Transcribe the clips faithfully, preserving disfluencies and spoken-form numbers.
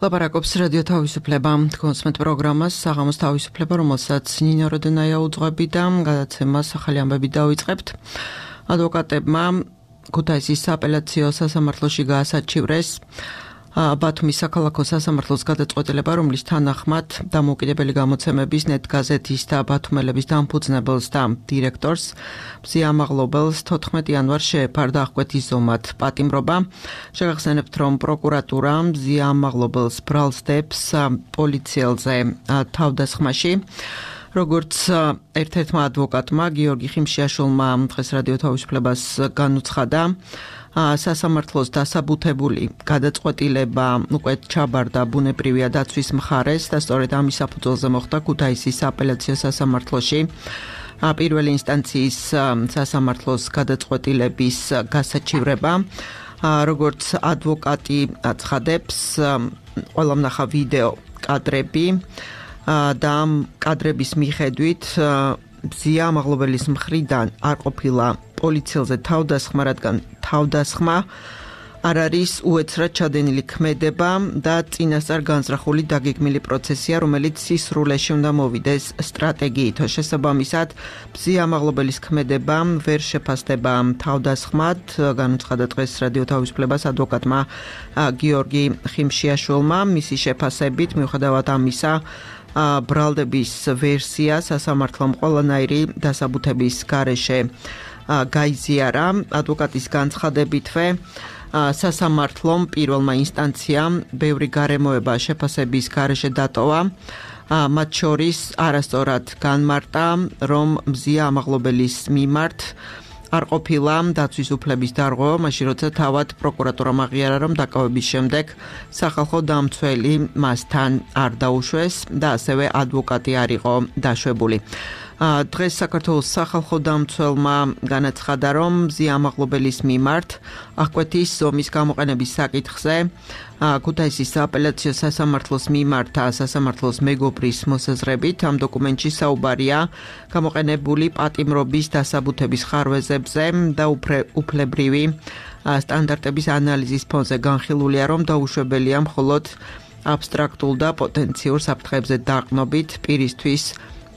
ლაპარაკობს რადიო თავისუფლება, კონსმეთ პროგრამას საღამოს თავისუფლება, რომელსაც ნინო როდენაია უძღვები და გადაცემას ახალი ამბები დავიწყებთ. ადვოკატებმა ქუთაისის სააპელაციო სასამართლოში გაასაჩივრეს ბათუმის საქალაქო სასამართლოს გადაწყვეტილება, რომლის თანახმად დამოუკიდებელი გამოცემების ნეტგაზეთის და ბათუმელების დამფუძნებელს და დირექტორს მზიამაღლობელს თოთხმეტი იანვარს შეეფარდა აღკვეთის ზომად პატიმრობა. შეგახსენებთ, რომ პროკურატურა მზიამაღლობელს ბრალს დებს პოლიციელზე თავდასხმაში. როგორც ერთ-ერთმა ადვოკატმა გიორგი ხიმშიაშვილმა დღეს რადიო თავისუფლებას განუცხადა, სასამართლოს დასაბუთებული გადაწყვეტილება უკვე ჩაბარდა ბუნებრივია დაცვის მხარეს და სწორედ ამის საფუძველზე მოხდა ქუთაისის სააპელაციო სასამართლოში პირველი ინსტანციის სასამართლოს გადაწყვეტილების გასაჩივრება. როგორც ადვოკატი აცხადებს, ყველამ ნახა ვიდეო კადრები და ამ კადრების მიხედვით მზიამაღლობელის მხრიდან არ ყოფილა პოლიციელზე თავდასხმა, რადგან თავდასხმა არ არის უეცრად ჩადენილი ქმედება და წინასწარ განზრახული დაგეგმილი პროცესია, რომელიც სისრულეში უნდა მოვიდეს სტრატეგიით. შესაბამისად, მზიამაღლობელის ქმედება ვერ შეფასდება თავდასხმად, განუცხადა დღეს რადიო თავისუფლებას ადვოკატმა გიორგი ხიმშიაშვილმა. მისი შეფასებით, მიუხედავად ამისა, ბრალდების ვერსია სასამართლომ ყველანაირი დასაბუთების გარეშე გაიზიარა. ადვოკატის განცხადებითვე სასამართლომ პირველმა ინსტანციამ ბევრი გარემოება შეფასების გარეშე დატოვა. მათ შორის არასწორად განმარტა, რომ მზიამაღლობელის მიმართ არ ყოფილა დაცვის უფლების დარღვევა, მაშინ როცა თავად პროკურატურამ აღიარა, რომ დაკავების შემდეგ სახალხო დამცველი მასთან არ დაუშვეს და ასევე ადვოკატი არ იყო დაშვებული. დღეს საქართველოს სახალხო დამცველმა განაცხადა, რომ მზიამაღლობელის მიმართ აღკვეთის ზომის გამოყენების საკითხზე ქუთაისის სააპელაციო სასამართლოს მიმართა სასამართლოს მეგობრის მოსაზრებით ამ დოკუმენტში საუბარია გამოყენებული პატიმრობის დასაბუთების ხარვეზებზე და უფლებრივი სტანდარტების ანალიზის ფონზე განხილულია, რომ დაუშვებელია მხოლოდ აბსტრაქტულ და პოტენციურ საფრთხეებზე დაყრდნობით პირისთვის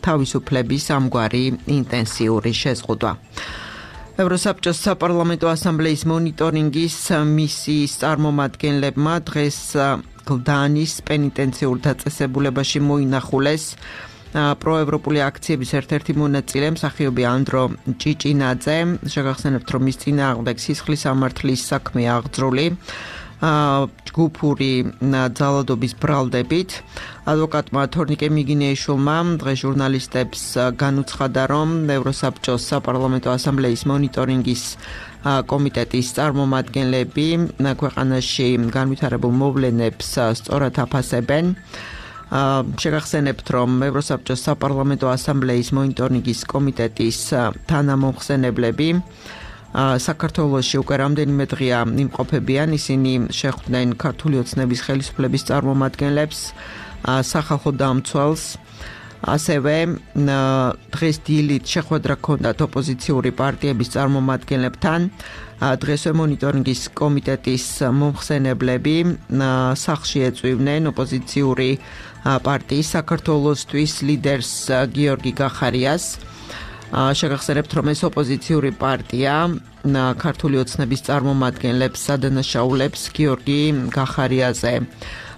თავისუფლების ამგვარი ინტენსიური შეზღუდვა. ევროსაბჭოს საპარლამენტო ასამბლეის მონიტორინგის მისიის წარმომადგენლებმა დღეს გლდანის პენიტენციურ დაწესებულებაში მოინახულეს პროევროპული აქციების ერთ-ერთი მონაწილე მსახიობი ანდრო ჭიჭინაძე. შეგახსენებთ, რომ მის წინააღმდეგ სისხლის სამართლის საქმეა აღძრული ჯგუფური ძალადობის ბრალდებით. ადვოკატმა თორნიკე მიგინეიშვილმა დღეს ჟურნალისტებს განუცხადა, რომ ევროსაბჭოს საპარლამენტო ასამბლეის მონიტორინგის კომიტეტის წარმომადგენლები ქვეყანაში განვითარებულ მოვლენებს სწორად აფასებენ. შეგახსენებთ, რომ ევროსაბჭოს საპარლამენტო ასამბლეის მონიტორინგის კომიტეტის თანამომხსენებლები საქართველოში უკვე რამდენიმე დღეა იმყოფებიან. ისინი შეხვდნენ ქართული ოცნების ხელისუფლების წარმომადგენლებს, სახალხო დამცველს, ასევე დღეს დილით შეხვედრა ჰქონდათ ოპოზიციური პარტიების წარმომადგენლებთან. დღესვე მონიტორინგის კომიტეტის მომხსენებლები სახლში ეწვივნენ ოპოზიციური პარტიის საქართველოსთვის ლიდერს გიორგი გახარიას. შეგახსენებთ, რომ ეს ოპოზიციური პარტია ქართული ოცნების წარმომადგენლებს ადანაშაულებს გიორგი გახარიაზე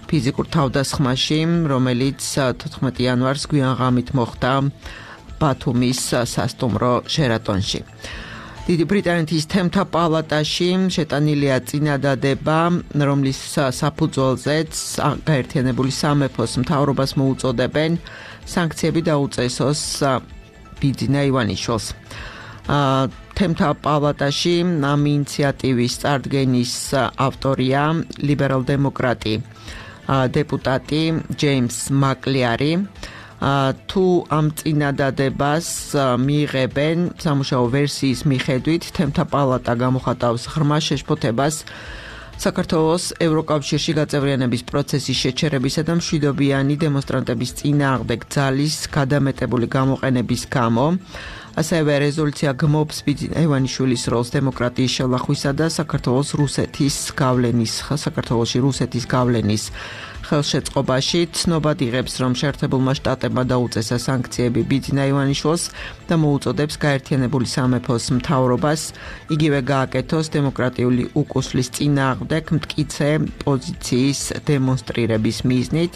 ფიზიკურ თავდასხმაში, რომელიც თოთხმეტი იანვარს გვიანღამით მოხდა ბათუმის სასტუმრო ჟერატონში. დიდი ბრიტანეთის თემთა პალატაში შეტანილია წინადადება, რომლის საფუძველზეც გაერთიანებული სამეფოს მთავრობას მოუწოდებენ სანქციები დაუწესოს ბიძინა ივანიშვილს. თემთა პალატაში ამ ინიციატივის წარდგენის ავტორია ლიბერალ-დემოკრატი დეპუტატი ჯეიმს მაკლიარი. თუ ამ წინადადებას მიიღებენ სამუშაო ვერსიის მიხედვით, თემთა პალატა გამოხატავს ღრმა შეშფოთებას საქართველოს ევროკავშირში გაწევრიანების პროცესის შეჩერებისა და მშვიდობიანი დემონსტრანტების წინააღმდეგ ძალის გადამეტებული გამოყენების გამო. ასევე რეზოლუცია გმობს ბიძინა ივანიშვილის როლს დემოკრატიის შელახვისა და საქართველოს რუსეთის გავლენის საქართველოში რუსეთის გავლენის ხელშეწყობაში. ცნობად იღებს, რომ შეერთებულმა შტატებმა დაუწესა სანქციები ბიძინა ივანიშვილს და მოუწოდებს გაერთიანებული სამეფოს მთავრობას იგივე გააკეთოს დემოკრატიული უკუსლის წინააღმდეგ მტკიცე პოზიციის დემონსტრირების მიზნით.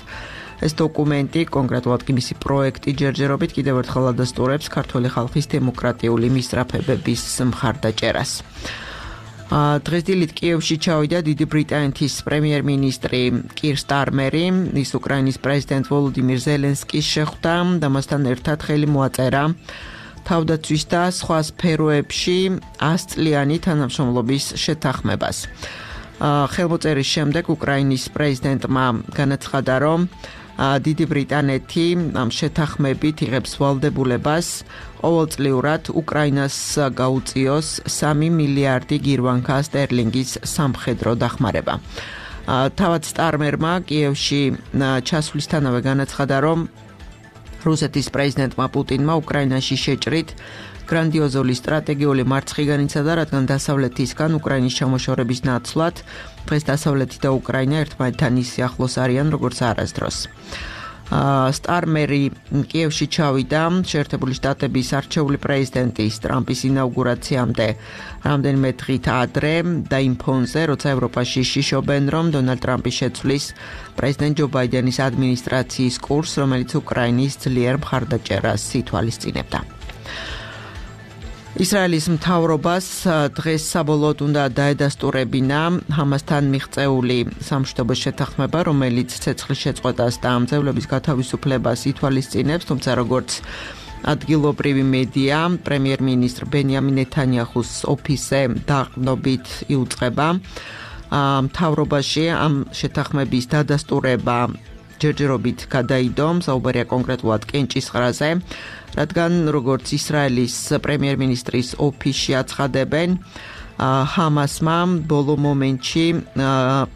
ეს დოკუმენტი, კონკრეტულად კი მისი პროექტი ჯერჯერობით კიდევ ერთხელ ადასტურებს ქართული ხალხის დემოკრატიული მისწრაფებების მხარდაჭერას. დღეს დილით კიევში ჩავიდა დიდი ბრიტანეთის პრემიერ-მინისტრი კირ სტარმერი, ის უკრაინის პრეზიდენტ ვოლოდიმირ ზელენსკის შეხვდა და მასთან ერთად ხელი მოაწერა თავდაცვის და სხვა სფეროებში ასწლიანი თანამშრომლობის შეთანხმებას. ხელმოწერის შემდეგ უკრაინის პრეზიდენტმა განაცხადა, რომ დიდი ბრიტანეთი ამ შეთანხმებით იღებს ვალდებულებას ყოველწლიურად უკრაინას გაუწიოს სამი მილიარდი გირვანკა სტერლინგის სამხედრო დახმარება. თავად სტარმერმა კიევში ჩასვლისთანავე განაცხადა, რომ რუსეთის პრეზიდენტმა პუტინმა უკრაინაში შეჭრით გრანდიოზული სტრატეგიული მარცხი განიცადა, რადგან დასავლეთისგან უკრაინის ჩამოშორების ნაცვლად დღეს დასავლეთი და უკრაინა ერთმანეთთან ისე ახლოს არიან, როგორც არასდროს. სტარმერი კიევში ჩავიდა შეერთებული შტატების არჩეული პრეზიდენტის ტრამპის ინაუგურაციამდე რამდენიმე დღით ადრე და იმ ფონზე, როცა ევროპაში შიშობენ, რომ დონალდ ტრამპი შეცვლის პრეზიდენტ ჯო ბაიდენის ადმინისტრაციის კურსს, რომელიც უკრაინის ძლიერ მხარდაჭერას ითვალისწინებდა. ისრაელის მთავრობას დღეს საბოლოოდ უნდა დაედასტურებინა ჰამასთან მიღწეული სამშვიდობო შეთანხმება, რომელიც ცეცხლის შეწყვეტას და ამძევლების გათავისუფლებას ითვალისწინებს, თუმცა როგორც ადგილობრივი მედია, პრემიერ-მინისტრ ბენიამინ ნეთანიაჰუს ოფისზე დაყრდნობით იუწყება. მთავრობაში ამ შეთანხმების დადასტურება ჯერჯერობით გადაიდო, საუბარია კონკრეტულად კენჭისყრაზე, რადგან როგორც ისრაელის პრემიერ-მინისტრის ოფისში აცხადებენ, ჰამასმა ბოლო მომენტში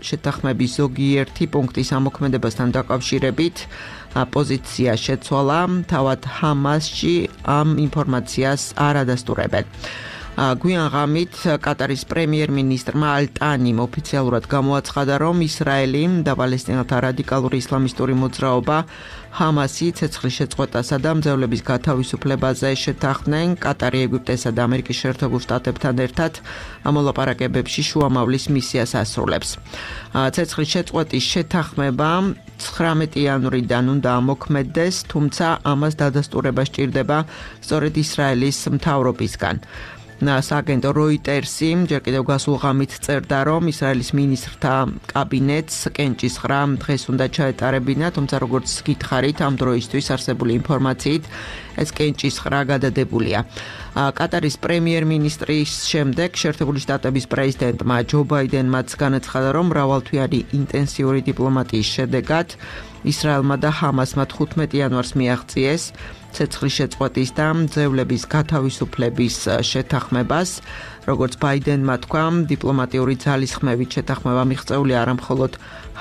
შეთანხმების ზოგიერთი პუნქტის ამოქმედებასთან დაკავშირებით პოზიცია შეცვალა, თავად ჰამასში ამ ინფორმაციას არ ადასტურებენ. გვიან ღამით კატარის პრემიერ-მინისტრმა ალ-ტანიმ ოფიციალურად გამოაცხადა, რომ ისრაელი და პალესტინელთა რადიკალური ისლამისტური მოძრაობა ჰამასი ცეცხლის შეწყვეტასა და მძევლების გათავისუფლებაზე შეთანხმდნენ კატარი, ეგვიპტესა და ამერიკის შეერთებულ შტატებთან ერთად ამოლაპარაკებებში შუამავლის მისიას ასრულებს. ცეცხლის შეწყვეტის შეთანხმება ცხრამეტი იანვრიდან უნდა ამოქმედდეს, თუმცა ამას დადასტურება სჭირდება სწორედ ისრაელის მთავრობისგან. სააგენტო როიტერსი ჯერ კიდევ გასულ ღამით წერდა, რომ ისრაელის მინისტრთა კაბინეტს კენჭისყრა დღეს უნდა ჩაეტარებინა, თუმცა როგორც გითხარით, ამ დროისთვის არსებული ინფორმაციით ეს კენჭისყრა გადადებულია. კატარის პრემიერ-მინისტრის შემდეგ შეერთებული შტატების პრეზიდენტმა ჯო ბაიდენმაც განაცხადა, რომ მრავალთვიანი ინტენსიური დიპლომატიის შედეგად ისრაელმა და ჰამასმა თხუთმეტი იანვარს მიაღწიეს ცეცხლის შეწყვეტის და მძევლების გათავისუფლების შეთანხმებას. როგორც ბაიდენმა თქვა, დიპლომატიური ძალისხმევით შეთანხმება მიღწეული არა მხოლოდ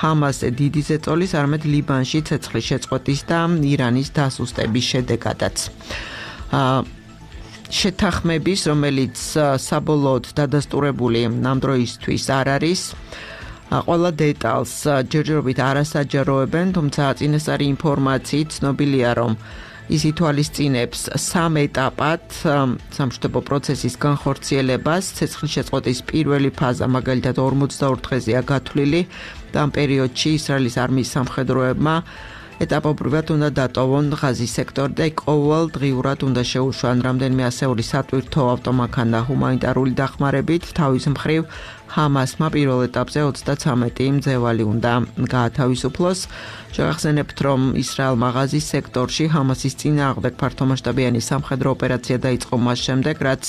ჰამასზე დიდი ზეწოლის, არამედ ლიბანში ცეცხლის შეწყვეტის და ირანის დასუსტების შედეგადაც. შეთანხმების, რომელიც საბოლოოდ დადასტურებული ამ დროისთვის არ არის, ყველა დეტალს ჯერჯერობით არასაჯაროებენ, თუმცა წინასწარი ინფორმაციით ცნობილია, რომ ის ითვალისწინებს სამ ეტაპად სამშვიდობო პროცესის განხორციელებას. ცეცხლის შეწყვეტის პირველი ფაზა მაგალითად ორმოცდაორ დღეზეა გათვლილი და ამ პერიოდში ისრაელის არმიის სამხედროებმა ეტაპობრივად უნდა დატოვონ ღაზის სექტორი და ყოველდღიურად უნდა შეუშვან რამდენიმე ასეული სატვირთო ავტომანქანა ჰუმანიტარული დახმარებით. თავის მხრივ ჰამასმა პირველ ეტაპზე ოცდაცამეტი მძევალი უნდა გაათავისუფლოს. შევახსენებთ, რომ ისრაელმა ღაზის სექტორში ჰამასის წინააღმდეგ ფართომასშტაბიანი სამხედრო ოპერაცია დაიწყო მას შემდეგ, რაც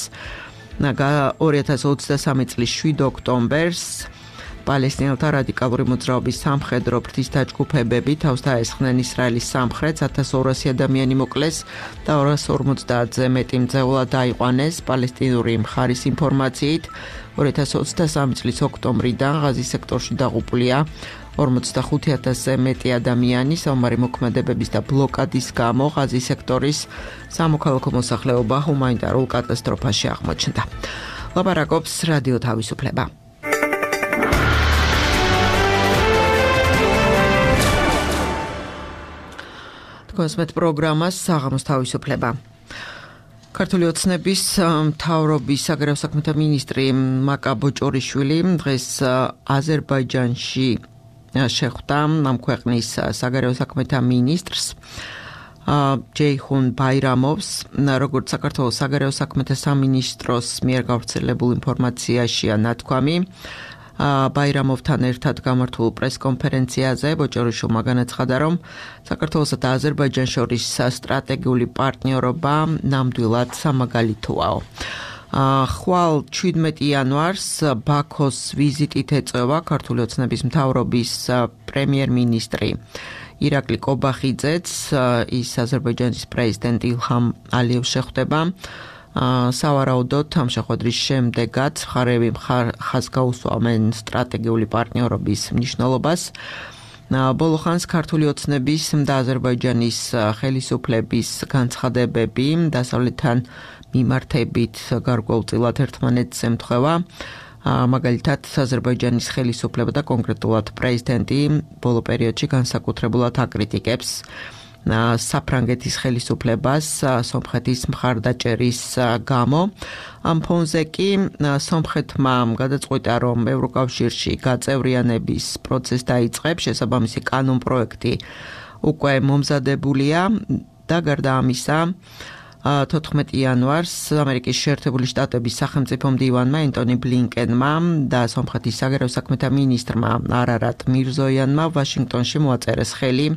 ორი ათას ოცდასამი წლის შვიდ ოქტომბერს პალესტინელთა რადიკალური მოძრაობის სამხედრო ფრთისთა ჯგუფებები თავს დაესხნენ ისრაელის სამხრეთს, ათას ორასი ადამიანი მოკლეს და ორას ორმოცდაათზე მეტი მძევლა დაიყვანეს. პალესტინური მხარის ინფორმაციით ორი ათას ოცდასამი წლის ოქტომბრიდან ღაზის სექტორში დაღუპულია ორმოცდახუთი ათასზე მეტი ადამიანი. საომარი მოქმედებების და ბლოკადის გამო ღაზის სექტორის სამოქალაქო მოსახლეობა ჰუმანიტარულ კატასტროფაში აღმოჩნდა. ლაპარაკობს რადიო თავისუფლება. კონსმეთ პროგრამას საღამოს თავისუფლება. ქართული ოცნების მთავრობის საგარეო საქმეთა მინისტრი მაკა ბოჭორიშვილი დღეს აზერბაიჯანში შეხვდა ამ ქვეყნის საგარეო საქმეთა მინისტრს ჯეიხუნ ბაირამოვს. როგორც საქართველოს საგარეო საქმეთა სამინისტროს მიერ გავრცელებულ ინფორმაციაშია ნათქვამი, ბაირამოვთან ერთად გამართულ პრესკონფერენციაზე ბოჭორიშვილმა განაცხადა, რომ საქართველოსა და აზერბაიჯანს შორის სტრატეგიული პარტნიორობა ნამდვილად სამაგალითოა. ხვალ შვიდმეტი იანვარს ბაქოს ვიზიტით ეწევა ქართული ოცნების მთავრობის პრემიერ-მინისტრი ირაკლი კობახიძეც. ის აზერბაიჯანის პრეზიდენტ ილჰამ ალიევს შეხვდება. სავარაუდოდ ამ შეხვედრის შემდეგაც მხარეები ხაზს გაუსვამენ სტრატეგიული პარტნიორობის მნიშვნელობას. ბოლო ხანს ქართული ოცნების და აზერბაიჯანის ხელისუფლების განცხადებები დასავლეთთან მიმართებით გარკვეულწილად ერთმანეთს ემთხვევა. მაგალითად, აზერბაიჯანის ხელისუფლება და კონკრეტულად პრეზიდენტი ბოლო პერიოდში განსაკუთრებულად აკრიტიკებს საფრანგეთის ხელისუფლებას სომხეთის მხარდაჭერის გამო. ამ ფონზე კი სომხეთმა გადაწყვიტა, რომ ევროკავშირში გაწევრიანების პროცესი დაიწყებს, შესაბამისი კანონპროექტი უკვე მომზადებულია და გარდა ამისა თოთხმეტი იანვარს ამერიკის შეერთებული შტატების სახელმწიფო მდივანმა ენტონი ბლინკენმა და სომხეთის საგარეო საქმეთა მინისტრმა არარატ მირზოიანმა ვაშინგტონში მოაწერეს ხელი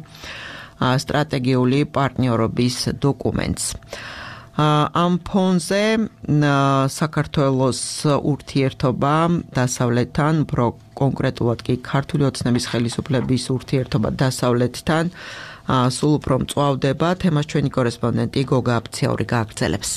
სტრატეგიული პარტნიორობის დოკუმენტს. ამ ფონზე საქართველოს ურთიერთობა დასავლეთთან, უფრო კონკრეტულად კი ქართული ოცნების ხელისუფლების ურთიერთობა დასავლეთთან სულ უფრო მწვავდება. თემას ჩვენი კორესპონდენტი გოგა აფციური გააგრძელებს.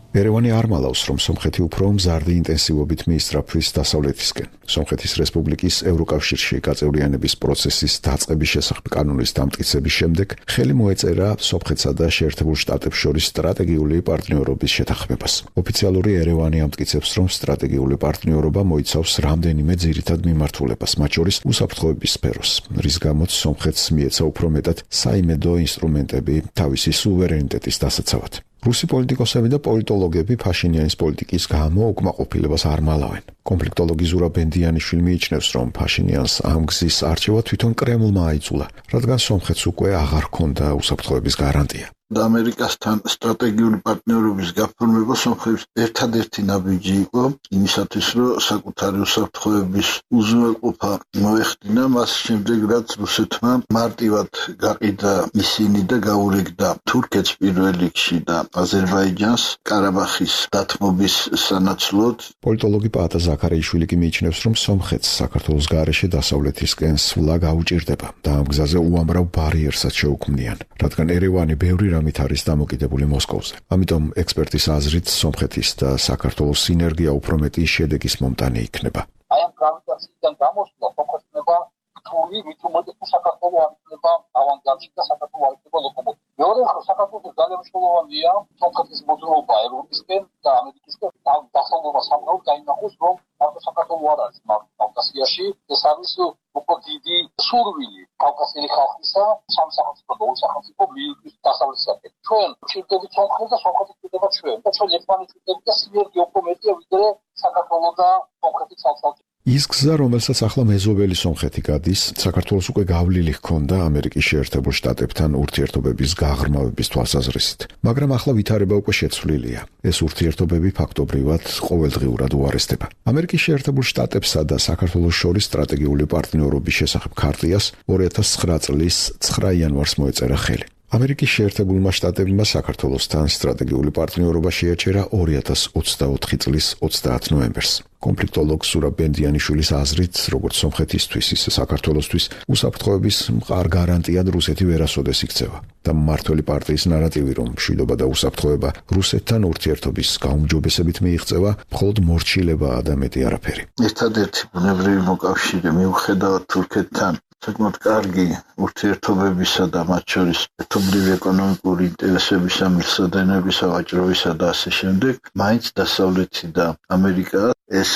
ერევანი არ მალავს, რომ სომხეთი უფრო მზარდი ინტენსივობით მიისწრაფვის დასავლეთისკენ. სომხეთის რესპუბლიკის ევროკავშირში გაწევრიანების პროცესის დაწყების შესახებ კანონის დამტკიცების შემდეგ ხელი მოეწერა სომხეთსა და შეერთებულ შტატებს შორის სტრატეგიული პარტნიორობის შეთანხმებას. ოფიციალური ერევანი ამტკიცებს, რომ სტრატეგიული პარტნიორობა მოიცავს რამდენიმე ძირითად მიმართულებას, მათ შორის უსაფრთხოების სფეროს, რის გამოც სომხეთს მიეცა უფრო მეტად საიმედო ინსტრუმენტები თავისი სუვერენიტეტის დასაცავად. რუსი პოლიტიკოსები და პოლიტოლოგები ფაშინიანის პოლიტიკის გამო უკმაყოფილებას არ მალავენ. კონფლიქტოლოგი ზურაბ ბენდიანიშვილი მიიჩნევს, რომ ფაშინიანს ამ გზის არჩევა თვითონ კრემლმა აიძულა, რადგან სომხეთს უკვე აღარ ჰქონდა უსაფრთხოების გარანტია. ამერიკასთან სტრატეგიული პარტნიორობის გაფორმება სომხეთის ერთადერთი ნაბიჯი იყო იმისათვის, რომ საკუთარი უსაფრთხოების უზრუნველყოფა მოეხდინა. მას შემდეგ, რაც რუსეთმა მარტივად გაყიდა ისინი და გაურიგდა თურქეთს პირველ რიგში და აზერბაიჯანს ყარაბახის დათმობის სანაცვლოდ. პოლიტოლოგი პაატა ზაქარიაშვილი კი მიიჩნევს, რომ სომხეთს საქართველოს გარეშე დასავლეთისკენ სვლა გაუჭირდება და ამ გზაზე უამრავ ბარიერსაც შეუქმნიან, რადგან ერევანი ბევრი რამით არის დამოკიდებული მოსკოვზე. ამიტომ ექსპერტის აზრით სომხეთის და საქართველოს სინერგია უფრო მეტი შედეგის მომტანი იქნება. აი ამ გრავიტაციიდან გამოსვლა სომხეთმა რთული რიტმოდები საქართველოს ამიტება ავანგარდში და საქართველოს არიქნება ლოკომოტივი. მეორე მხრივ საქართველოს ძალიან მნიშვნელოვანია სომხეთის მოძრაობა ევროპისკენ და ამერიკისკენ დასავლურმა სამყაროს დაინახოს, რომ მარტო საქართველოს არ არის კავკასიაში, ეს არის უფრო დიდი სურვილი კავკასიელი ხალხისა სამსახელმწიფო და ორსახელმწიფო მიიღოს დასავლეთისაკენ. ჩვენ ვჭირდებით სომხეთს და სომხეთი გვჭირდება ჩვენ და ჩვენ ერთმანეთს ვჭირდებით და სინერგია უფრო მეტია ვიდრე საქართველოს და სომხეთის ცალ-ცალკე. ის გზა, რომელსაც ახლა მეზობელი სომხეთი გადის, საქართველოს უკვე გავლილი ჰქონდა ამერიკის შეერთებულ შტატებთან ურთიერთობების გაღრმავების თვალსაზრისით. მაგრამ ახლა ვითარება უკვე შეცვლილია. ეს ურთიერთობები ფაქტობრივად ყოველდღიურად უარესდება. ამერიკის შეერთებულ შტატებსა და საქართველოს შორის სტრატეგიული პარტნიორობის შესახებ ქარტიას ორი ათას ცხრა წლის ცხრა იანვარს მოეწერა ხელი. ამერიკის შეერთებულმა შტატებმა საქართველოსთან სტრატეგიული პარტნიორობა შეაჩერა ორი ათას ოცდაოთხი წლის ოცდაათი ნოემბერს. კონფლიქტოლოგ სურაბ ბენდიანიშვილის აზრით, როგორც სომხეთისთვის, ისე საქართველოსთვის უსაფრთხოების მყარ გარანტიად რუსეთი ვერასოდეს იქცევა და მმართველი პარტიის ნარატივი, რომ მშვიდობა და უსაფრთხოება რუსეთთან ურთიერთობის გაუმჯობესებით მიიღწევა, მხოლოდ მორჩილებაა და მეტი არაფერი. ერთადერთი ბუნებრივი მოკავშირე მიუხედავად თურქეთთან საკმაოდ კარგი ურთიერთობებისა და მათ შორის ერთობლივი ეკონომიკური ინტერესების ამილსადენების ავაჭრობისა და ასე შემდეგ, მაინც დასავლეთი და ამერიკა ეს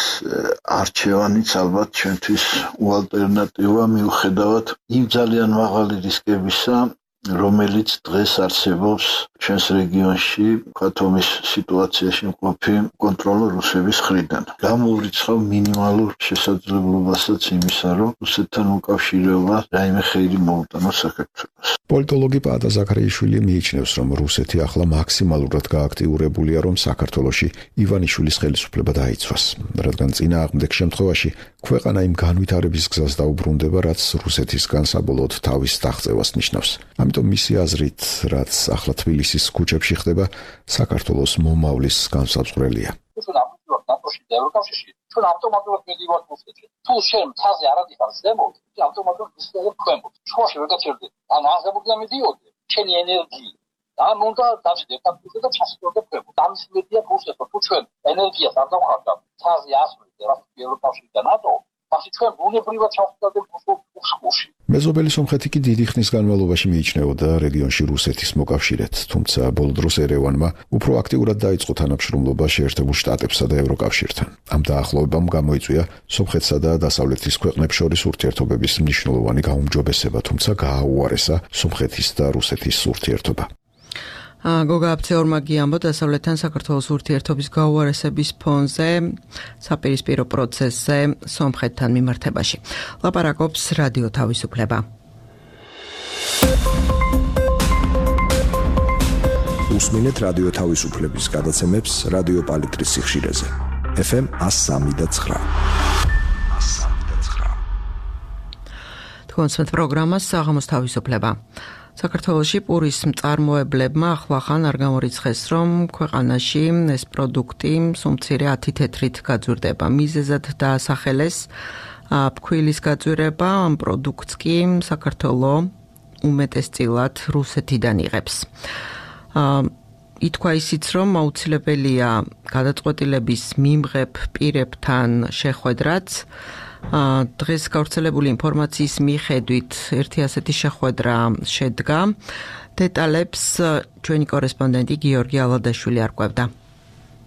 არჩევანიც ალბათ ჩვენთვის უალტერნატივა მიუხედავად იმ ძალიან მაღალი რისკებისა, რომელიც დღეს არსებობს ჩვენს რეგიონში, ქათომის სიტუაციაში მყოფი კონტროლ რუსების მხრიდან. გამოვრიცხავ მინიმალურ შესაძლებლობასაც იმისა, რომ რუსეთთან უკავშირდება რაიმე ხეირი მოუტანოს საქართველოს. პოლიტოლოგი პაატა ზაქარიაშვილი მიიჩნევს, რომ რუსეთი ახლა მაქსიმალურად გააქტიურებულია, რომ საქართველოში ივანიშვილის ხელისუფლება დაიცვას, რადგან წინააღმდეგ შემთხვევაში ქვეყანა იმ განვითარების გზას დაუბრუნდება, რაც რუსეთისგან საბოლოოდ თავის დაღწევას ნიშნავს. ამიტომ მისი აზრით, რაც ახლა თბილისის ქუჩებში ხდება, საქართველოს მომავლის განსაზღვრელია. ჩვენ ამბობთ ნატოში და ევროკავშირში, ჩვენ ავტომატურად მიდივართ რუსეთში. თუ შენ მთაზე არ ადიხარ ზემოთ, ავტომატურად რუსეთს ქვემოთ. შუაში ვერ გაჩერდე. ანუ აღებულა მიდიოდე. ჩემი ენერგია ამ უნდა დავждებ აქ და ჩასწორდე ქვემოთ. ამის მედია რუსეთს, თუ ჩვენ ენერგიას არ დავხარდავ, მთაზე ასვლით ევროკავშირში და ნატო, მაშინ ჩვენ ბუნებრივად ჩავხდებით უსხურში. მეზობელი სომხეთი კი დიდი ხნის განმავლობაში მიიჩნეოდა რეგიონში რუსეთის მოკავშირედ, თუმცა ბოლო დროს ერევანმა უფრო აქტიურად დაიწყო თანამშრომლობა შეერთებულ შტატებსა და ევროკავშირთან. ამ დაახლოებამ გამოიწვია სომხეთსა და დასავლეთის ქვეყნებს შორის ურთიერთობების მნიშვნელოვანი გაუმჯობესება, თუმცა გააუარესა სომხეთის და რუსეთის ურთიერთობა. გოგა აფცეორმა გიამბო დასავლეთთან საქართველოს ურთიერთობის გაუარესების ფონზე საპირისპირო პროცესზე სომხეთთან მიმართებაში. ლაპარაკობს რადიო თავისუფლება. უსმინეთ რადიო თავისუფლების გადაცემებს რადიო პალიტრის სიხშირეზე. ეფ ემ one oh three point nine. თქვენს პროგრამას საღამოს თავისუფლება. საქართველოში პურის მწარმოებლებმა ახლახან არ გამორიცხეს, რომ ქვეყანაში ეს პროდუქტი სუმცირე ათი თეთრით გაძვირდება. მიზეზად დაასახელეს ფქვილის გაძვირება, ამ პროდუქტს კი საქართველო უმეტესწილად რუსეთიდან იღებს. ითქვა ისიც, რომ აუცილებელია გადაწყვეტილების მიმღებ პირებთან შეხვედრაც. დღეს გავრცელებული ინფორმაციის მიხედვით ერთი ასეთი შეხვედრა შედგა. დეტალებს ჩვენი კორესპონდენტი გიორგი ალადაშვილი არკვევდა.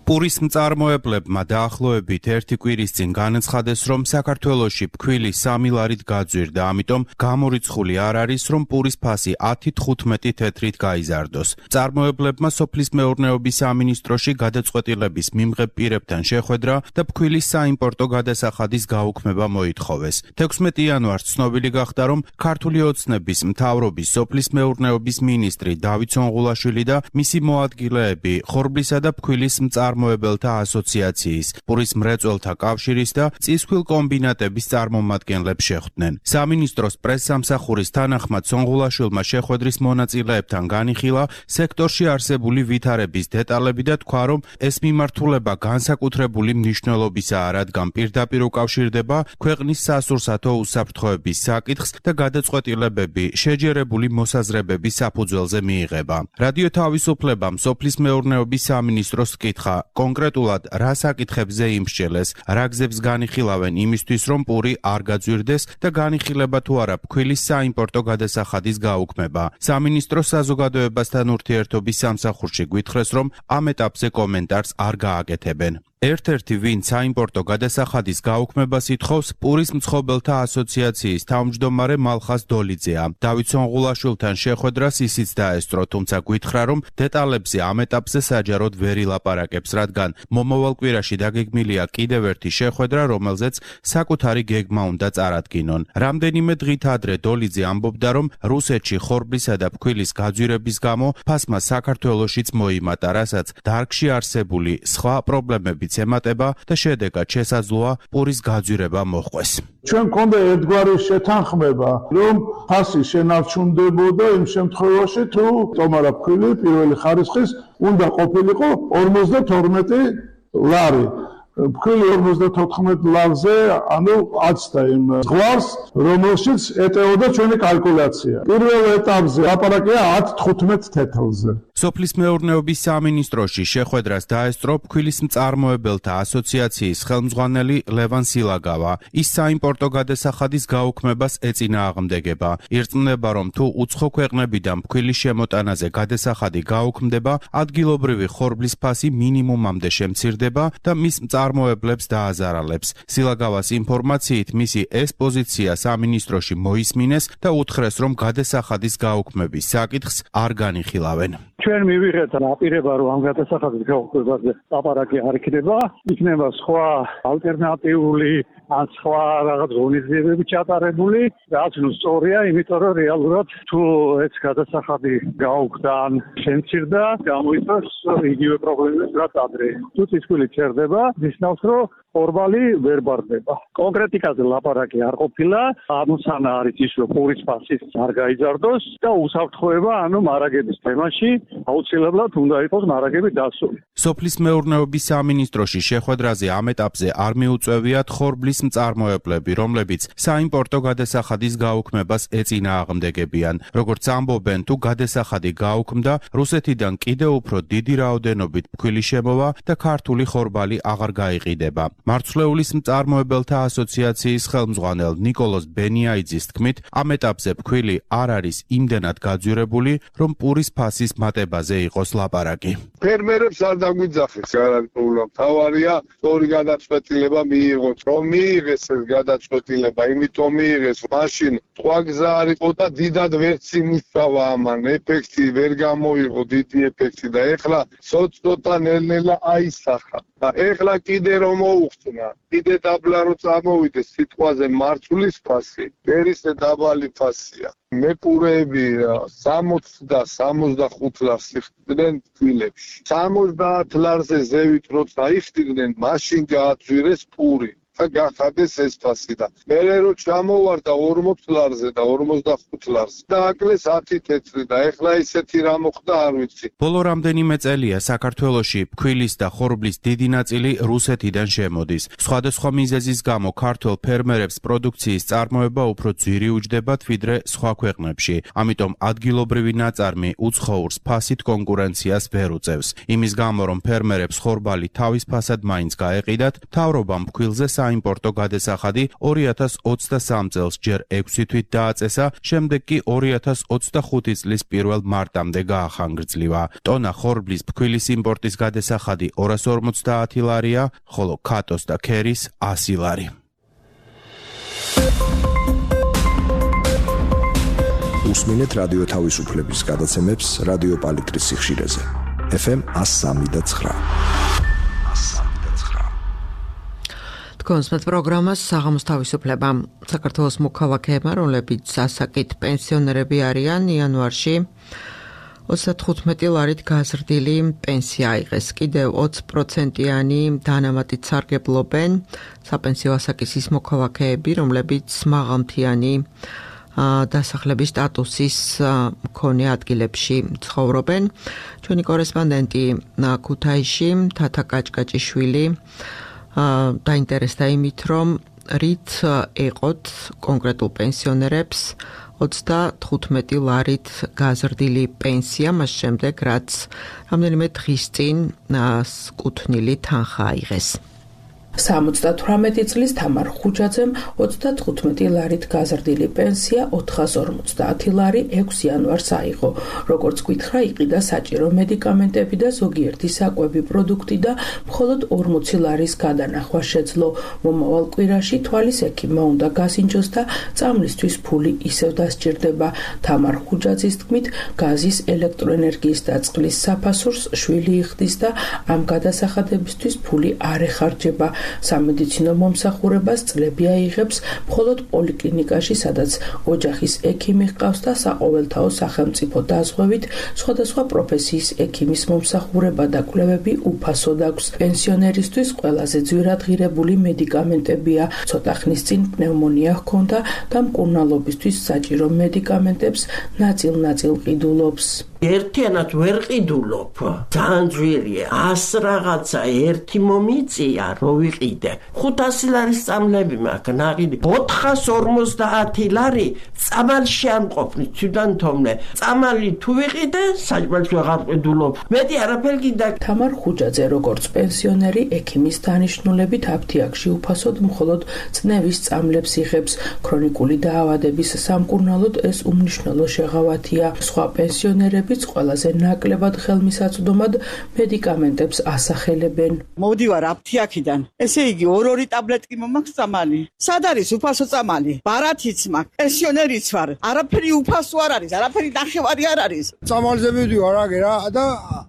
პურის მწარმოებლებმა დაახლოებით ერთი კვირის წინ განაცხადეს, რომ საქართველოში ფქვილი სამი ლარით გაძვირდა, ამიტომ გამორიცხული არ არის, რომ პურის ფასი ათი თხუთმეტი თეთრით გაიზარდოს. მწარმოებლებმა სოფლის მეურნეობის სამინისტროში გადაწყვეტილების მიმღებ პირებთან შეხვედრა და ფქვილის საიმპორტო გადასახადის გაუქმება მოითხოვეს. თექვსმეტი იანვარს ცნობილი გახდა, რომ ქართული ოცნების მთავრობის სოფლის მეურნეობის მინისტრი დავით სონღულაშვილი და მისი მოადგილეები ხორბლისა და ფქვილის მწარმოებლებთან წარმოებელთა ასოციაციის, პურის მრეწველთა კავშირის და წისქვილ კომბინატების წარმომადგენლებს შეხვდნენ. სამინისტროს პრესსამსახურის თანახმად სონღულაშვილმა შეხვედრის მონაწილეებთან განიხილა სექტორში არსებული ვითარების დეტალები და თქვა, რომ ეს მიმართულება განსაკუთრებული მნიშვნელობისაა, რადგან პირდაპირ უკავშირდება ქვეყნის სასურსათო უსაფრთხოების საკითხს და გადაწყვეტილებები შეჯერებული მოსაზრებების საფუძველზე მიიღება. რადიო თავისუფლებამ სოფლის მეურნეობის სამინისტროს კითხა კონკრეტულად რა საკითხებზე იმსჯელეს, რა გზებს განიხილავენ იმისთვის, რომ პური არ გაძვირდეს და განიხილება თუ არა ფქვილის საიმპორტო გადასახადის გაუქმება. სამინისტროს საზოგადოებასთან ურთიერთობის სამსახურში გვითხრეს, რომ ამ ეტაპზე კომენტარს არ გააკეთებენ. ერთ-ერთი ვინ საიმპორტო გადასახადის გაუქმებას ითხოვს, პურის მცხოველთა ასოციაციის თავმჯდომარე მალხას დოლიძეა. დავით სონღულაშვილთან შეხვედრას ისიც დაესწრო, თუმცა გვითხრა, რომ დეტალებზე ამ ეტაპზე საჯაროდ ვერ ილაპარაკებს, რადგან მომავალ კვირაში დაგეგმილია კიდევ ერთი შეხვედრა, რომელზეც საკუთარი გეგმა უნდა წარადგინონ. რამდენიმე დღით ადრე დოლიძე ამბობდა, რომ რუსეთში ხორბლისა და ფქვილის გაძვირების გამო ფასმა საქართველოშიც მოიმატა, რასაც დარგში არსებული სხვა პრობლემებიც ემატება და შედეგად შესაძლოა პურის გაძვირება მოჰყვეს. ჩვენ გქონდა ერთგვარი შეთანხმება, რომ ფასი შენარჩუნდებოდა იმ შემთხვევაში, თუ ტომარა ფქვილი პირველი ხარისხის უნდა ყოფილიყო ორმოცდათორმეტი ლარი. ფქვილი ორმოცდათოთხმეტ ლარზე, ანუ აცდა იმ ზღვარს, რომელშიც ეტეოდა ჩვენი კალკულაცია. პირველ ეტაპზე ლაპარაკია ათ თხუთმეტ თეთრზე. სოფლის მეურნეობის სამინისტროში შეხვედრას დაესწრო ფქვილის მწარმოებელთა ასოციაციის ხელმძღვანელი ლევან სილაგავა. ის საიმპორტო გადასახადის გაუქმებას ეწინააღმდეგება. ირწმუნება, რომ თუ უცხო ქვეყნებიდან ფქვილის შემოტანაზე გადასახადი გაუქმდება, ადგილობრივი ხორბლის ფასი მინიმუმამდე შემცირდება და მის მწარმოებლებს დააზარალებს. სილაგავას ინფორმაციით მისი ეს პოზიცია სამინისტროში მოისმინეს და უთხრეს, რომ გადასახადის გაუქმების საკითხს არ განიხილავენ. ჩვენ მივიღეთ აპირება, რომ ამ გადასახადის გაუქმებაზე ლაპარაკი არ იქნება, იქნება სხვა ალტერნატიული ან სხვა რაღაც ღონისძიებები ჩატარებული, რაც ნუ სწორია, იმიტომ რომ რეალურად თუ ეს გადასახადი გაუქმდა ან შემცირდა, გამოიწვევს იგივე პრობლემებს, რაც ადრე. თუ წისქვილი ჩერდება, ნიშნავს, რომ ხორბალი ვერ ბარდება. კონკრეტიკაზე ლაპარაკი არ ყოფილა, ამოსანა არის ის, რომ პურის ფასიც არ გაიზარდოს და უსაფრთხოება, ანუ მარაგების თემაში აუცილებლად უნდა იყოს მარაგები დასული. სოფლის მეურნეობის სამინისტროში შეხვედრაზე ამ ეტაპზე არ მიუწევიათ ხორბლის მწარმოებლები, რომლებიც საიმპორტო გადასახადის გაუქმებას ეწინააღმდეგებიან. როგორც ამბობენ, თუ გადასახადი გაუქმდა, რუსეთიდან კიდევ უფრო დიდი რაოდენობით ფქვილი შემოვა და ქართული ხორბალი აღარ გაიყიდება. მარცვლეულის მწარმოებელთა ასოციაციის ხელმძღვანელ ნიკოლოზ ბენიაიძის თქმით, ამ ეტაპზე ფქვილი არ არის იმდენად გაძვირებული, რომ პურის ფასის მატებაზე იყოს ლაპარაკი. ფერმერებს არ დაგვიძახეს გარანტიულად. თავარია სწორი გადაწყვეტილება მიიღოს, რომ მიიღეს ეს გადაწყვეტილება, იმიტომ მიიღეს, მაშინ სხვა გზა არ იყო და დიდად ვერც იმუშავა ამან, ეფექტი ვერ გამოიღო, დიდი ეფექტი და ეხლა ცოტ-ცოტა ნელ-ნელა აისახა. და ეხლა კიდე რომ მოუხსნა, კიდე დაბლა რომ წამოვიდეს სიტყვაზე მარცვლის ფასი, პერისე დაბალი ფასია. მეპურეები სამოცი და სამოცდახუთ ლარს იხდიდნენ ფქვილებში. სამოცდაათ ლარზე ზევით როცა იხდიდნენ, მაშინ გააძვირეს პური. გახადეს ეს ფასი და მერე რო ჩამოვარდა ორმოც ლარზე და ორმოცდახუთ ლარზე და აკლეს ათი თეთრი და ეხლა ისეთი რა მოხდა არ ვიცი. ბოლო რამდენიმე წელია საქართველოში ფქვილის და ხორბლის დიდი ნაწილი რუსეთიდან შემოდის. სხვადასხვა მიზეზის გამო ქართველ ფერმერებს პროდუქციის წარმოება უფრო ძვირი უჯდებათ ვიდრე სხვა ქვეყნებში. ამიტომ ადგილობრივი ნაწარმი უცხოურს ფასით კონკურენციას ვერ უწევს. იმის გამო რომ ფერმერებს ხორბალი თავის ფასად მაინც გაეყიდათ, მთავრობამ ფქვილზე საიმპორტო გადასახადი ორი ათას ოცდასამ წელს ჯერ ექვსი თვით დააწესა, შემდეგ კი ორი ათას ოცდახუთი წლის პირველ მარტამდე გაახანგრძლივა. ტონა ხორბლის ფქვილის იმპორტის გადასახადი ორას ორმოცდაათი ლარია, ხოლო ქატოს და ქერის ასი ლარი. უსმინეთ რადიო თავისუფლების გადაცემებს რადიო პალიტრის სიხშირეზე. ეფ ემ ას სამი და ცხრა. კონსმეთ პროგრამას საღამოს თავისუფლება. საქართველოს მოქალაქეებმა, რომლებიც ასაკით პენსიონერები არიან, იანვარში ოცდათხუთმეტი ლარით გაზრდილი პენსია აიღეს. კიდევ ოცი პროცენტიანი დანამატით სარგებლობენ საპენსიო ასაკის ის მოქალაქეები, რომლებიც მაღალმთიანი დასახლების სტატუსის მქონე ადგილებში ცხოვრობენ. ჩვენი კორესპონდენტი ქუთაისში თათა კაჭკაჭიშვილი დაინტერესდა იმით, რომ რით ეყოთ კონკრეტულ პენსიონერებს ოცდათხუთმეტი ლარით გაზრდილი პენსია, მას შემდეგ რაც რამდენიმე დღის წინ კუთვნილი თანხა აიღეს. სამოცდათვრამეტი წლის თამარ ხუჯაძემ ოცდათხუთმეტი ლარით გაზრდილი პენსია ოთხას ორმოცდაათი ლარი ექვსი იანვარს აიღო. როგორც გითხრა, იყიდა საჭირო მედიკამენტები და ზოგიერთი საკვები პროდუქტი და მხოლოდ ორმოცი ლარის გადანახვა შეძლო. მომავალ კვირაში თვალის ექიმმა უნდა გასინჯოს და წამლისთვის ფული ისევ დასჭირდება. თამარ ხუჯაძის თქმით, გაზის, ელექტროენერგიის და წყლის საფასურს შვილი იხდის და ამ გადასახადებისთვის ფული არ ეხარჯება. სამედიცინო მომსახურებას წლები აიღებს მხოლოდ პოლიკლინიკაში, სადაც ოჯახის ექიმი ჰყავს და საყოველთაო სახელმწიფო დაზღვევით სხვადასხვა პროფესიის ექიმის მომსახურება და კვლევები უფასოდ აქვს. პენსიონერისთვის ყველაზე ძვირადღირებული მედიკამენტებია, ცოტა ხნის წინ პნევმონია ჰქონდა და მკურნალობისთვის საჭირო მედიკამენტებს ნაწილ-ნაწილ ყიდულობს. ერთიანად ვერ ყიდულობ, ძალიან ძვირია, ას რაღაცა ერთი მომიწია, რო ვიყიდე. ხუთასი ლარის წამლები მაქვს, ნაყიდი. ოთხას ორმოცდაათი ლარი წამალში არ მყოფნი, თვითონ თომნე. წამალი თუ ვიყიდე, საჭმელს ვეღარ ყიდულობ. მეტი არაფერი გინდა. თამარ ხუჯაძე როგორც პენსიონერი ექიმის დანიშნულებით აფთიაქში უფასოდ მხოლოდ წნევის წამლებს იღებს. ქრონიკული დაავადების სამკურნალოდ ეს უმნიშვნელო შეღავათია. სხვა პენსიონერებიც ყველაზე ნაკლებად ხელმისაწვდომად მედიკამენტებს ასახელებენ. მოვდივარ აფთიაქიდან. ესე იგი ორ-ორი ტაბლეტი მომაქვს წამალი. სად არის უფასო წამალი? ბარათიც მაქვს, პენსიონერიც ვარ. არაფერი უფასო არ არის, არაფერი ნახევარი არ არის. წამალზე მივდივარ აგერ და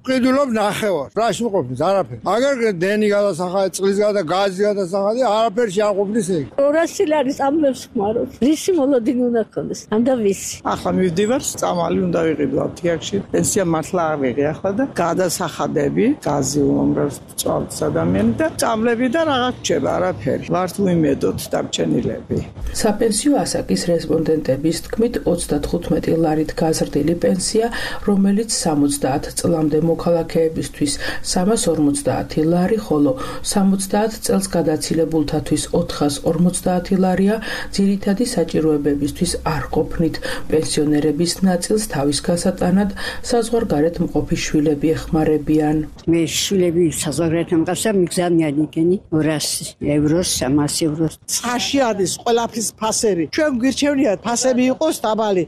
ყიდულობ ნახევარ. რაში მყოფნის არაფერი. აგერ დენი გადასახადი, წყლის გადა, გაზი გადასახადი, არაფერში არ ყოფნის ეგ. ორასი ლარის წამლებს ხმარობ. რისი მოლოდინი უნდა ქონდეს? ამდა ვისი? ახლა მივდივარ, წამალი უნდა ვიყიდო აფთიაქში. პენსია მართლა არ ვიღე ახლა და გადასახადები, გაზი უმრავს წვალს ადამიანი და წამლები და რაღაც რჩება, არაფერი. ვართ უიმედოთ დარჩენილები. საპენსიო ასაკის რესპონდენტების თქმით ოცდათხუთმეტი ლარით გაზრდილი პენსია, რომელიც სამოცდაათ წლამდე მოქალაქეებისთვის სამას ორმოცდაათი ლარი, ხოლო სამოცდაათ წელს გადაცილებულთათვის ოთხას ორმოცდაათი ლარია, ძირითადი საჭიროებებისთვის არ ყოფნით. პენსიონერების ნაწილს თავის გასატანად საზღვარგარეთ მყოფი შვილები ეხმარებიან. მე შვილები საზღვარგარეთ მყავსა მიგზავნიან იქენი ორასი ევროს, სამასი ევროს. წაში არის ყველაფრის ფასები. ჩვენ გვირჩევნიათ ფასები იყოს დაბალი.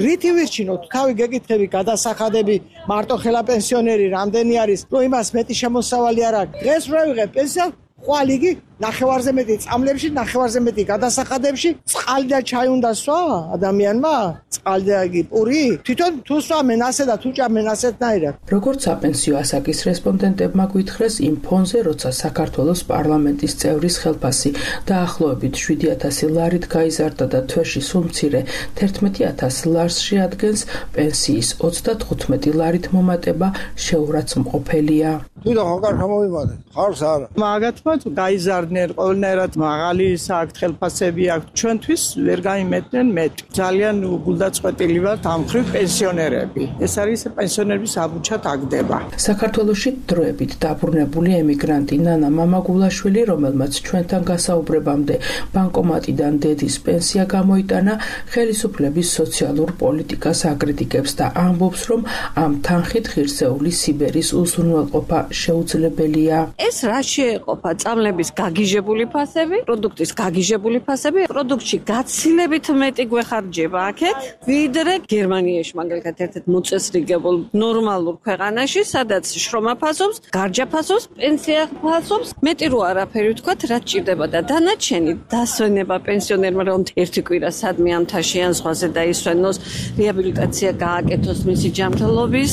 რითი ვირჩინოთ? თავი გეკითხები გადასახადები, მარტო ხელა პენსიონერი რამდენი არის, რომ იმას მეტი შემოსავალი არ აქვს. დღეს რო ვიღებ პენსია, ხვალიგი ნახევარზე მეტი წამლებში, ნახევარზე მეტი გადასახადებში, წყალი და ჩაი უნდა სვა ადამიანმა? წყალი და იგი პური? თვითონ თუ სვამენ ასე და თუ ჭამენ ასეთნაირად. როგორც საპენსიო ასაკის რესპონდენტებმა გვითხრეს იმ ფონზე, როცა საქართველოს პარლამენტის წევრის ხელფასი დაახლოებით შვიდი ათასი ლარით გაიზარდა და თვეში სულ მცირე თერთმეტი ათასი ლარს შეადგენს, პენსიის ოცდათხუთმეტი ლარით მომატება შეურაცხმყოფელია. თვითონ ხარ გამოვიმადე, ხარს არა. მაგათმა თუ გაიზარდნენ ყველნაირად მაღალი საქმე ხელფასები აქვს, ჩვენთვის ვერ გაიმეტნენ მეტი. ძალიან გულდაწყვეტილი ვართ ამ ხრივ პენსიონერები. ეს არის პენსიონერების აბუჩად აგდება. საქართველოში დროებით დაბრუნებული ემიგრანტი ნანა მამაგულაშვილი, რომელმაც ჩვენთან გასაუბრებამდე ბანკომატიდან დედის პენსია გამოიტანა, ხელისუფლების სოციალურ პოლიტიკას აკრიტიკებს და ამბობს, რომ ამ თანხით ღირსეული სიბერის უზრუნველყოფა შეუძლებელია. ეს რა შეეყოფა? წამლების გაგიჟებული ფასები, პროდუქტის გაგიჟებული ფასები, პროდუქტში გაცილებით მეტი გვეხარჯება აქეთ, ვიდრე გერმანიაში მაგალითად ერთ-ერთ მოწესრიგებულ ნორმალურ ქვეყანაში, სადაც შრომა ფასობს, გარჯა ფასობს, პენსია ფასობს, მეტი რო არაფერი ვთქვათ, რაც ჭირდება და დანარჩენი დასვენება პენსიონერმა, რომ ერთი კვირა სადმე ამთაში ან ზღვაზე დაისვენოს, რეაბილიტაცია გააკეთოს მისი ჯანმრთელობის,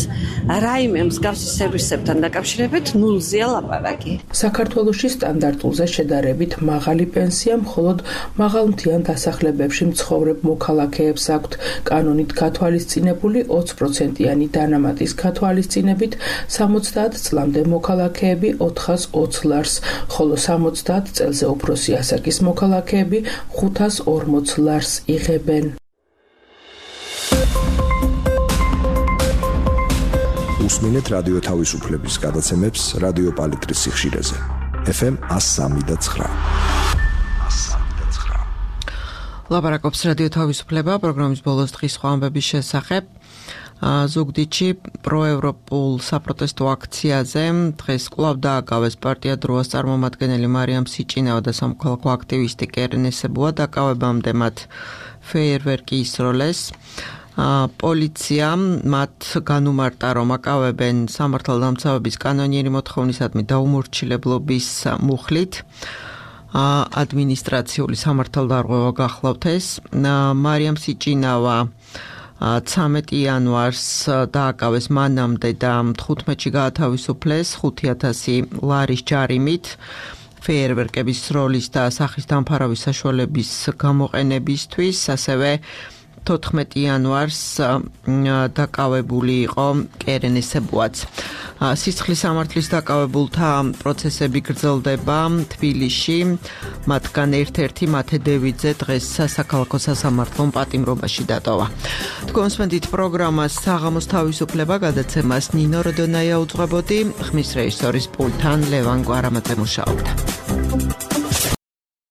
რაიმე მსგავსი სერვისებთან დაკავშირებით ნულზეა ლაპარაკი. საქართველოში სტანდარტულზე შედარებით მაღალი პენსია მხოლოდ მაღალმთიან დასახლებებში მცხოვრებ მოქალაქეებს აქვთ. კანონით გათვალისწინებული ოცი პროცენტიანი დანამატის გათვალისწინებით სამოცდაათ წლამდე მოქალაქეები ოთხას ოცი ლარს, ხოლო სამოცდაათ წელზე უფროსი ასაკის მოქალაქეები ხუთას ორმოცი ლარს იღებენ. უსმინეთ რადიო თავისუფლების გადაცემებს რადიო პალიტრის სიხშირეზე. ეფ ემ εκατო სამი და ცხრა. ლაპარაკობს რადიო თავისუფლება პროგრამის ბოლოს დღის სხვა ამბების შესახებ. ზუგდიდში პროევროპულ საპროტესტო აქციაზე დღეს კვლავ დააკავეს პარტია დროას წარმომადგენელი მარიამ სიჭინავა და სამოქალაქო აქტივისტი კერენ ესებუა. დაკავებამდე მათ ფეიერვერკი ისროლეს. პოლიცია მათ განუმარტა, რომ აკავებენ სამართალდამცავების კანონიერი მოთხოვნისადმი დაუმორჩილებლობის მუხლით. ადმინისტრაციული სამართალდარღვევა გახლავთ ეს. მარიამ სიჭინავა ცამეტი იანვარს დააკავეს მანამდე და თხუთმეტში გაათავისუფლეს ხუთი ათასი ლარის ჯარიმით. ფეიერვერკების როლის და სახის დამფარავის საშუალების გამოყენებისთვის, ასევე თოთხმეტი იანვარს დაკავებული იყო კერენ ესებუაც. სისხლის სამართლის დაკავებულთა პროცესები გრძელდება თბილისში, მათგან ერთ-ერთი მათე დევიძე დღეს საქალაქო სასამართლომ პატიმრობაში დატოვა. თქვენსმენდით პროგრამას საღამოს თავისუფლება გადაცემას ნინო როდონაია უძღვებოდი, ხმის რეჟისორის პულტთან ლევან გვარამაძე მუშაობდა.